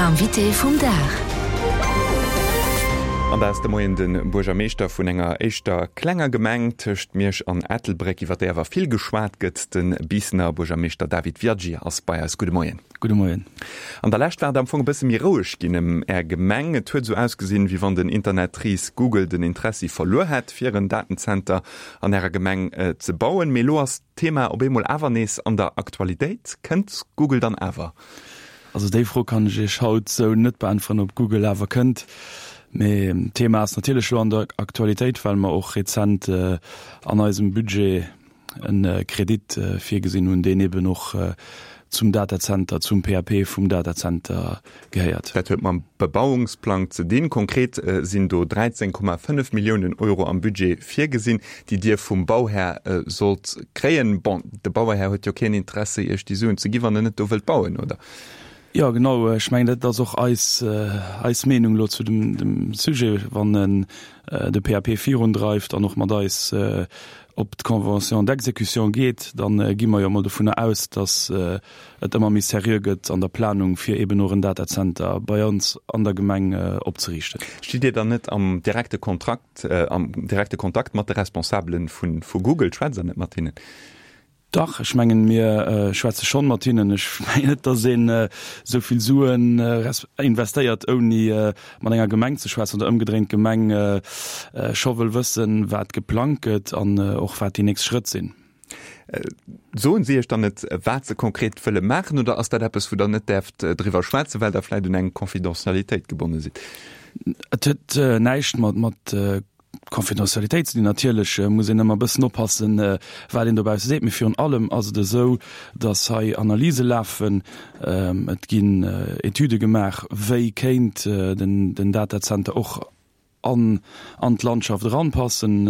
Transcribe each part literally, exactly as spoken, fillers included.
L'invité vum Dag. An dat ass de Moien de Buergermeeschter vun enger éischter klenger Gemeng tëscht Miersch an Ettelbréck, iwwer déi awer vill geschwat gëtt. De Biissener Buergermeeschter David Viaggi ass bei eis. Gudde Moien. Gudde Moien. An der Lescht war et am Fong e bësse méi roueg ginn ëm Är Gemeng. Et huet esou ausgesinn, wéi wann den Internetris Google den Interessi verluer hätt, fir en Datenzenter an Ärer Gemeng ze bauen. Mee elo ass d'Thema op eemol awer nees an der Aktualitéit. Kënnt Google dann awer? Also déi Fro kann ech Iech haut esou net beäntweren, ob Google awer kënnt. Mee d'Thema ass natierlech elo an der Aktualitéit, well mer och rezent an eisem Budget e Kredit virgesinn hunn, deen eben och zum Datacenter, zum P A P vum Datacenter gehéiert. Dat huet mam Bebauungsplang ze dinn. Konkret sinn do dräizéng Komma fënnef Milliounen Euro am Budget virgesinn, déi Dir vum Bauhär sollt kréien. Bon, de Bauhär huet jo keen Interesse, Iech déi Suen ze ginn, wann en net do wëllt bauen, oder? Jo, genau. Ech mengen, dat ass och eis, eis Meenung elo zu dem, dem Sujet, wann en de P A P virundreift an och mat eis op d'Convention d'exécution geet, da gi mer jo emol dovunner aus, datt et ëmmer méi seriö gëtt an der Planung, fir eben och en Datacenter bei ons an der Gemeng opzeriichten. Stitt Dir dann net am direkte Kontrakt, am direkte Kontakt mat de Responsabelen vu, vu Google? Schwätzt Der net mat hinnen? Dach, ech mengen, mir schwätze schonn mat hinnen. Ech mengen net, datt een esou vill Suen investéiert, ouni mat enger Gemeng ze schwätzen oder ëmgedréint d'Gemeng scho wëll wëssen, wat geplangt gëtt an och wat déi nächst Schrëtt sinn. Soen si Iech dann net, wat se konkret wëlle maachen, oder ass dat eppes, wou Der net däerft driwwer schwätzen, well Der vläicht un eng Confidentialitéit gebonne sidd? Et huet näischt mat Confidentialitéit ze dinn. Natierlech muss een ëmmer e bëssen oppassen, wat een dobausse seet, mee virun allem ass et esou, datt hei Analyse lafen, et ginn Etüde gemaach, wéi kéint den Datacenter och an an d'Landschaft eranpassen,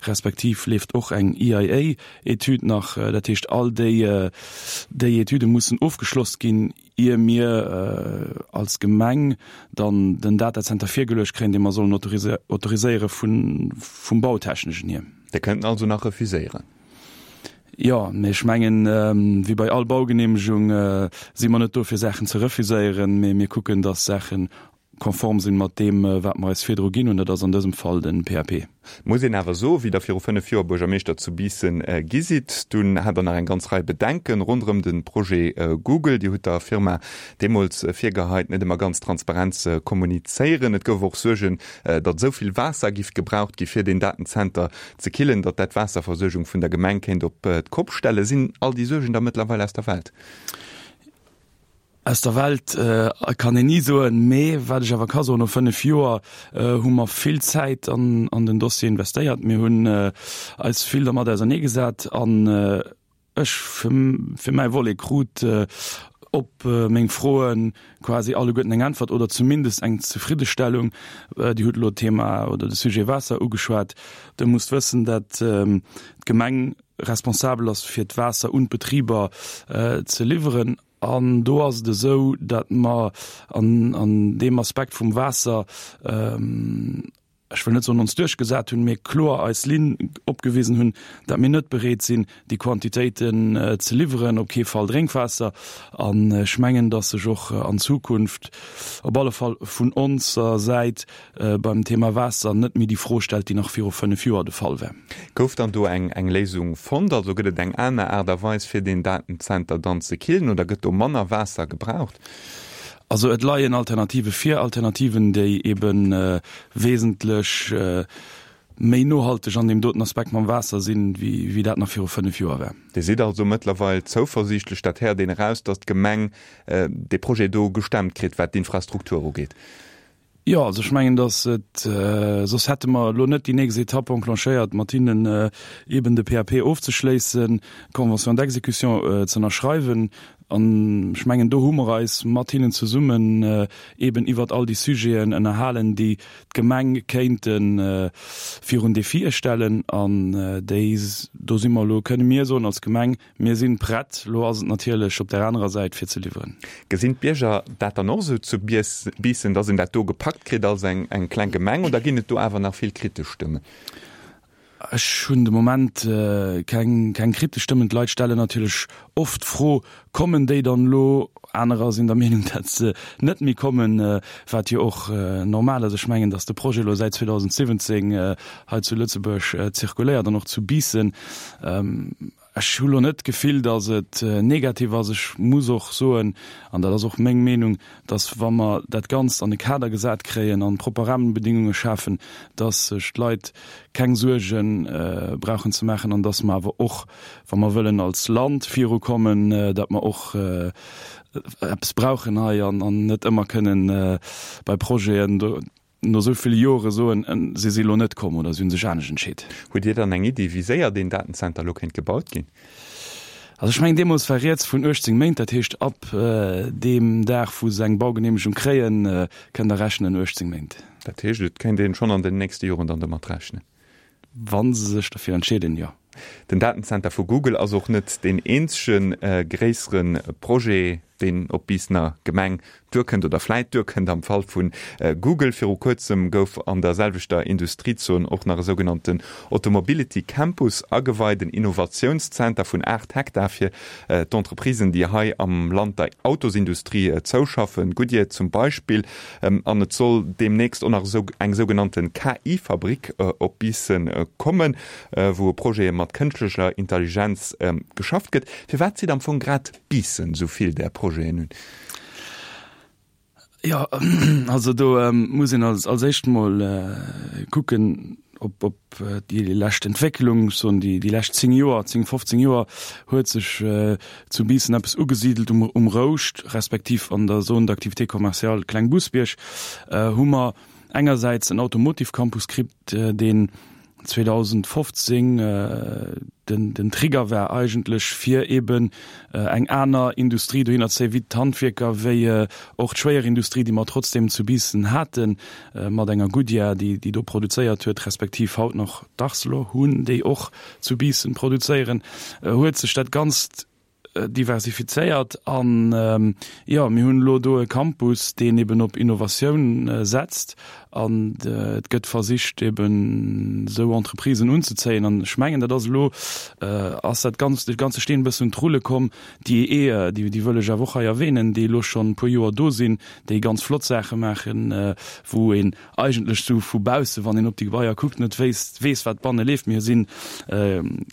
respektiv leeft och eng E I A-Etüd nach. Dat heescht, all déi déi Etüde mussen ofgeschloss ginn, ier mir als Gemeng dann den Datacenter virgeluecht kréien, dee mer sollen autoriséiere vun, vum Bautechneschen hier. Dir kënnt en also nach refuséieren? Jo, mee ech mengen, wéi bei all Baugenehmegung si mer net do, fir Saachen ze refuséieren, mee mir kucken, dass Saachen konform sinn mat deem, wat mer eis virdru ginn hunn. Dat ass an dësem Fall den P A P. Muss een awer soen, wéi Der viru fënnef Joer Buergermeeschter zu Biissen gi sidd, dunn hat Der nach eng ganz Rei Bedenken ronderëm de Projet Google. Dir hutt der Firma deemools virgeheit, net ëmmer ganz transparent ze kommunizéieren. Et gouf och Suergen, datt esou vill Waasser giff gebraucht gi fir deen Datenzenter ze killen, datt dat d'Waasserversuergung vun der Gemeng kéint op d'Kopp stellen. Sinn all déi Suergen da mëttlerweil aus der Welt? Aus der Welt kann een ni soen, mee wat ech awer ka soen, no fënnef Joer hu mer vill Zäit an, an den Dossier investéiert. Mir hunn eis vill dermat auserneegesat an ech fir, fir mäi Volet krut op meng Froen quasi alleguerten eng Äntwert oder zumindest eng Zefriddestellung. Dir hutt elo d'Thema oder de Sujet Waasser ugeschwat. Dir musst wëssen, dat d'Gemeng responsabel ass fir d'Waasser un d'Betriber ze liwweren. An do ass et esou, datt mer an, an deem Aspekt vum Waasser, ech wëll net soen ons duerchgesat hunn, mee kloer eis Linn opgewisen hunn, datt mir net bereet sinn, déi Quantitéiten ze liwweren, op kee Fall Drénkwaasser. An ech mengen, datt sech och an Zukunft op alle Fall vun onser Säit beim Thema Waasser net méi déi Fro stellt, déi nach viru fënnef Joer de Fall war. Gouf dann do eng, eng Léisung fonnt? Also gëtt et eng aner Aart a Weis, fir deen Datenzenter dann ze killen, oder gëtt do manner Waasser gebraucht? Also et leien Alternative vir, Alternativen, déi eben wesentlech méi nohalteg an deem doten Aspekt mam Waasser sinn, wéi, wéi dat nach viru fënnef Joer war. Dir sidd also mëttlerweil zouversiichtlech, dat héiert een eraus, datt d'Gemeng dee Projet do gestemmt kritt, wat d'Infrastruktur ugeet. Jo, also ech mengen, datt et, soss hätte mer elo net déi nächst Etapp enclenchéiert, mat hinnen eben de P A P ofzeschléissen, d'Convention d'exécution ze ënnerschreiwen. An ech mengen, do hu mer eis mat hinnen zesummen eben iwwer all déi Sujeten ënnerhalen, déi d'Gemeng kéinte virun Defie stellen. An déi, do si mer elo, kënne mir soen als Gemeng, mir sinn prett. Elo ass et natierlech op der anerer Säit fir ze liwweren. Gesinn d'Bierger dat dann och esou zu Biissen, datt een dat do gepackt kritt als eng, eng kleng Gemeng, oder ginn et do awer nach vill kritesch Stëmmen? Ech hunn de Moment keng keng kritesch Stëmmen. D'Leit stellen natierlech oft d'Fro, Kommen déi dann elo? Anerer sinn der Meenung, datt se net méi kommen, wat jo och normal ass. Ech mengen, datt de Projet elo säit zweedausendsiwwenzéng hei zu Lëtzebuerg zirkuléiert an och zu Biissen. Ech hu lo net d'Gefill, datt et negativ ass. Ech muss och soen, an dat ass och meng Meenung, datt wa mer dat Ganzt an e Kader gesat kréien an propper Rahmenbedingunge schafen, datt sech d'Leit keng Suerge brauchen ze maachen an datt mer awer och, wa mer wëllen als Land virukommen, datt mer och eppes brauchen hei an net ëmmer kënnen bei Projeten do no esou ville Jore soen, si si elo net komm oder si hu sech anescht entscheet. Hutt Dir dann eng Iddi, wéi séier deen Datenzenter elo kéint gebaut ginn? Also ech mengen, deemools war rieds vun uechtzéng Méint, dat heescht ab deem Dag, wou se eng Baugeneemegung kréien, kënnt Der rechnen, uechtzéng Méint. Dat heescht, et kéint een schonn an den nächste Joren dann domat rechnen? Wa se sech derfir entscheeden, jo. Den Datenzenter vu Google ass och net deen eenzege gréissere Projet, deen op d'Biissener Gemeng duerkënnt oder vläit duerkënnt am Fall vu Google. Viru kuerzem gouf an der selwechter Industriezon och nach e sougenannten Automobility Campus ageweit, en Innovatiounszenter vun aacht Hektar fir d'Entreprisen, déi hei am Land der Autosindustrie zouschaffen, Goodyear zum Beispill. An et soll deemnächst och nach eng sougenannte K I-Fabrik op Biissen kommen, wou u Projete mat kënschtlecher Intelligenz geschafft gëtt. Firwat zitt am Fong grad Biissen esou vill där Projeten un? Jo, also do muss een als als éischt mol kucken op op déi lescht Entwécklung, ech soen déi déi lescht zéng Joer, zéng, fofzéng Joer huet sech zu Biissen eppes ugesidelt um um Rouscht, respektiv an der Zone d'activité commerciale Klengbousbierg hu mer engersäits en Automotive Campus kritt, deen zweedausendfofzéng den den Trigger war eigentlech fir eben eng aner Industrie dohinner ze zéien, wéi d'Handwierker, wéi och d'Schwéierindustrie, déi mer trotzdem zu Biissen haten, mat enger Goodyear, déi déi do produzéiert huet, respektiv haut nach d'Arcelor hunn, déi och zu Biissen produzéieren, huet sech dat Ganzt diversifizéiert an jo, mir hunn elo do e Campus, deen eben op Innovatioun setzt an et gëtt versicht eben esou Entreprisen unzezéien an ech mengen, dat ass elo ass dat Ganzt, de ganze Steen e bëssen un d'Rulle komm. Déi E E, déi déi wëll ech awer och hei erwähnen, déi elo schonn e puer Joer do sinn, déi ganz flott Saache maachen, wou een eigentlech sou vu bausse, wann een op déi Gebaier kuckt, net wéisst, weess, wat banne leeft. Mir si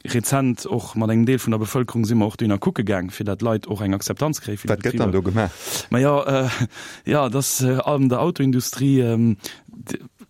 rezent och mat engem Deel vun der Bevëlkerung si mer och dohinner kucke gaang, fir dat d'Leit och eng Akzeptanz kréie fir déi Wat gëtt dann Betriber. do gemaach? Majo, jo, et ass an der Autoindustrie,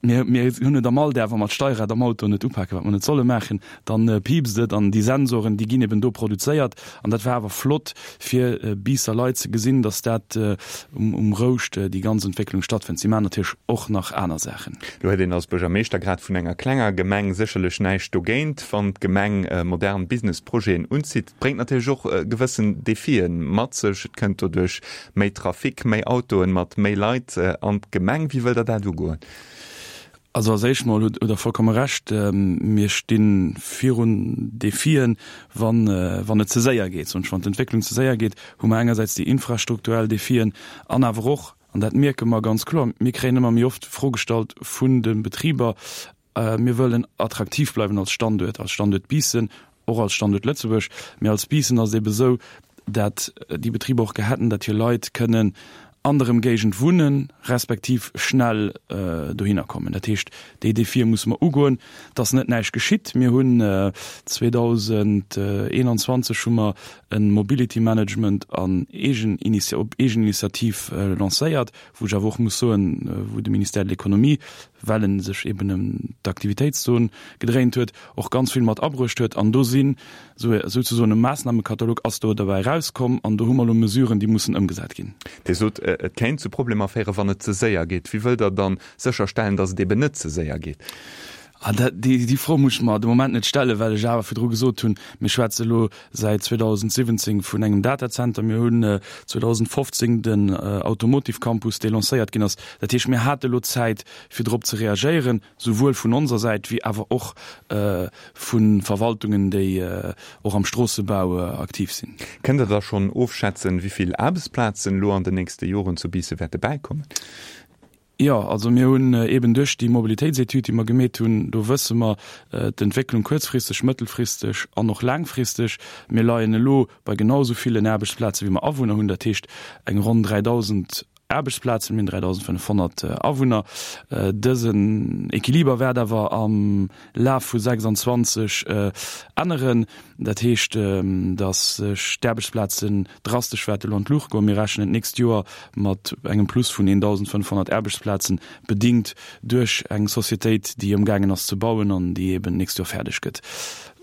mir, mir hunn et am Alldag, wa mer d'Steierrad am Auto net upaken, wat mer net solle maachen, dann piipst et an déi Sensoren, déi ginn eben do produzéiert. An dat war awer flott fir Biisser Leit ze gesinn, dass dat um, um Rouscht déi ganz Entwécklung stattfënnt. Si maachen natierlech och nach aner Saachen. Lo huet een als Buergermeeschter grad vun enger klenger Gemeng sécherlech näischt dogéint, wann d'Gemeng modern Businessprojeten unzitt. Et bréngt natierlech och gewëssen Defien mat sech. Et kënnt doduerch méi Trafic, méi Autoen mat méi Leit an d'Gemeng. Wéi wëllt Der dat ugoen? Also als éischt mol hutt Der vollkomme Recht. Mir sti virun Defien, wann wann et ze séier geet. Soen ech, wann d'Entwécklung ze séier geet, hu mer engersäits déi infrastrukturell Defien an awer och, an dat mierke mer ganz kloer, mir kréien ëmmer méi oft d'Fro gestallt vun de Betriber, mir wëllen attraktiv bleiwen als Standuert, als Standuert Biissen, och als Standuert Lëtzebuerg. Mee als Biissen ass et ebe sou, dat déi Betriber och gär hätten, dat hir Leit kënnen an der Ëmgéigend wunnen, respektiv schnell dohinner kommen. Dat heescht, déi Defie musse mer ugoen, dass net näischt geschitt. Mir hunn zweedausendeenanzwanzeg hu mer e Mobility Management an Eegeniniti op Eegeninitiativ lancéiert, wou ech awer och muss soen, wou de Ministère de l'Économie, well e sech eben ëm d'Aktivitéitszon gedréint huet, och ganz vill mat abruecht huet. An do sinn souzesoen e Maassnamekatalog ass do derbäi erauskomm an do hu mer elo Mesuren, déi mussen ëmgesat ginn. Dir sot, et kéint zu Problemer féieren, wann et ze séier geet. Wéi wëllt Der dann sécherstellen, datt et eben net ze séier geet? Ah, dat, déi, déi Fro muss ech mer de Moment net stellen, well ech awer virdru gesot hunn, mir schwätze elo säit zweedausendsiwwenzéng vun engem Datazenter. Mir hunn zweedausendfofzéng den Automotive Campus, dee lancéiert ginn ass. Dat heescht, mir hate elo Zäit, fir drop ze reagéieren, souwuel vun onser Säit wéi awer och vu Verwaltungen, déi och am Stroossebau aktiv sinn. Kënnt Der da schonn ofschätzen, wéi vill Aarbechtsplazen elo an den nächste Joren zu Biissen wäerte bäikommen? Jo, also mir hunn eben duerch déi Mobilitéitsetüd, déi mer gemeet hunn, do wësse mer d'Entwécklung kuerzfristeg, mëttelfristeg an och laangfristeg. Mir leien elo bei genau esou villen Aarbechtsplaze wéi mer Awunner hunn, dat heescht eng ronn dräidausend Aarbechtsplazen, mir hunn dräidausendfënnefhonnert Awunner. Dësen Equiliber wäert awer am Laf vu sechsandzwanzeg änneren. Dat heescht, datt sech d'Aarbechtsplazen drastesch wäerte lo an d'Luucht goen. Mir rechnen d'nächst Joer mat engem Plus vun eendausendfënnfhonnert Aarbechtsplazen, bedingt duerch eng Societéit, déi amgaangen ass ze bauen an déi eben d'nächst Joer fäerdeg gëtt.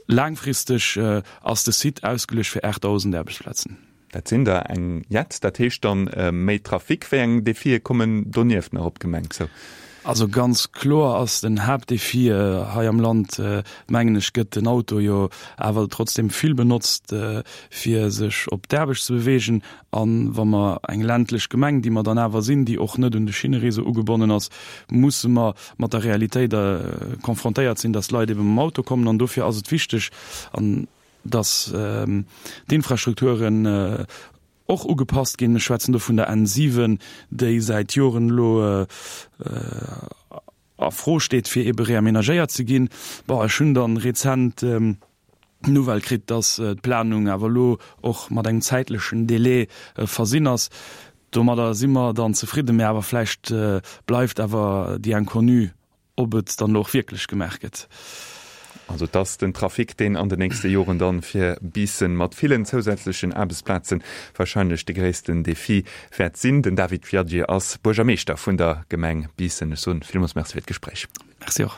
Laangfristeg ass de Site ausgeluecht fir aachtdausend Aarbechtsplazen. Dat sinn der eng jett. Dat heescht dann méi Trafic. Wéi eng Defie kommen donieft nach op d'Gemeng zou? Also ganz kloer ass den Haaptdefi hei am Land, mengen ech, gëtt den Auto jo awer trotzdem vill benotzt, fir sech op d'Aarbecht ze beweegen. A wa mer eng ländlech Gemeng, déi mer dann awer sinn, déi och net un de Schinnereseau ugebonnen ass, musse mer mat der Realitéit confrontéiert sinn, dass d'Leit ebe mam Auto kommen. An dofir ass et wichteg, an dass d'Infrastrukturen och ugepasst ginn. Ech schwätzen do vun der N siwen, déi säit Joren elo a Fro steet, fir ebe reamenagéiert ze ginn. Bon, ech hunn dann rezent d'Nouvelle kritt, dass d'Planung awer elo och mat engem zäitlechen Délai versinn ass. Domadder si mer dann zefridden, mä awer vläicht bleift awer déi Inconnue ob et dann elo och wierklech gemaach gëtt. Also et ass den Trafic, deen an den nächste Joren dann fir Biissen mat villen zousätzlechen Aarbechtsplazen wahrscheinlech de gréissten Defi wäert sinn. Den David Viaggi ass Buergermeeschter vun der Gemeng Biissen. Ech soen villmools Merci fir d'Gespréich. Merci och.